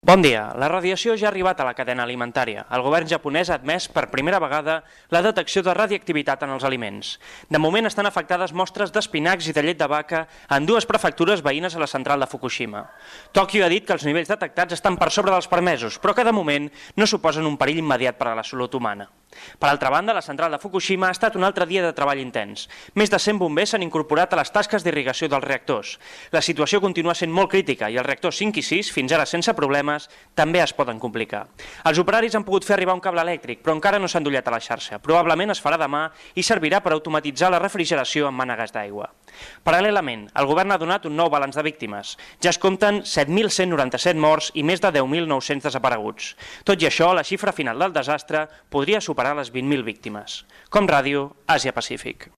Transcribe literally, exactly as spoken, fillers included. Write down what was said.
Bon dia. La radiació ja ha arribat a la cadena alimentària. El govern japonès ha admès per primera vegada la detecció de radioactivitat en els aliments. De moment estan afectades mostres d'espinacs i de llet de vaca en dues prefectures veïnes a la central de Fukushima. Tòquio ha dit que els nivells detectats estan per sobre dels permesos, però que de moment no suposen un perill immediat per a la salut humana. Per altra banda, la central de Fukushima ha estat un altre dia de treball intens. Més de cent bombers s'han incorporat a les tasques d'irrigació dels reactors. La situació continua sent molt crítica i els reactors cinc i sis, fins ara sense problemes, també es poden complicar. Els operaris han pogut fer arribar un cable elèctric, però encara no s'han endollat a la xarxa. Probablement es farà demà i servirà per automatitzar la refrigeració amb mànegues d'aigua. Paral·lelament, el govern ha donat un nou balanç de víctimes. Ja es compten set mil cent noranta-set morts i més de deu mil nou-cents desapareguts. Tot i això, la xifra final del desastre podria superar les vint mil víctimes. Com Ràdio, Àsia Pacífic.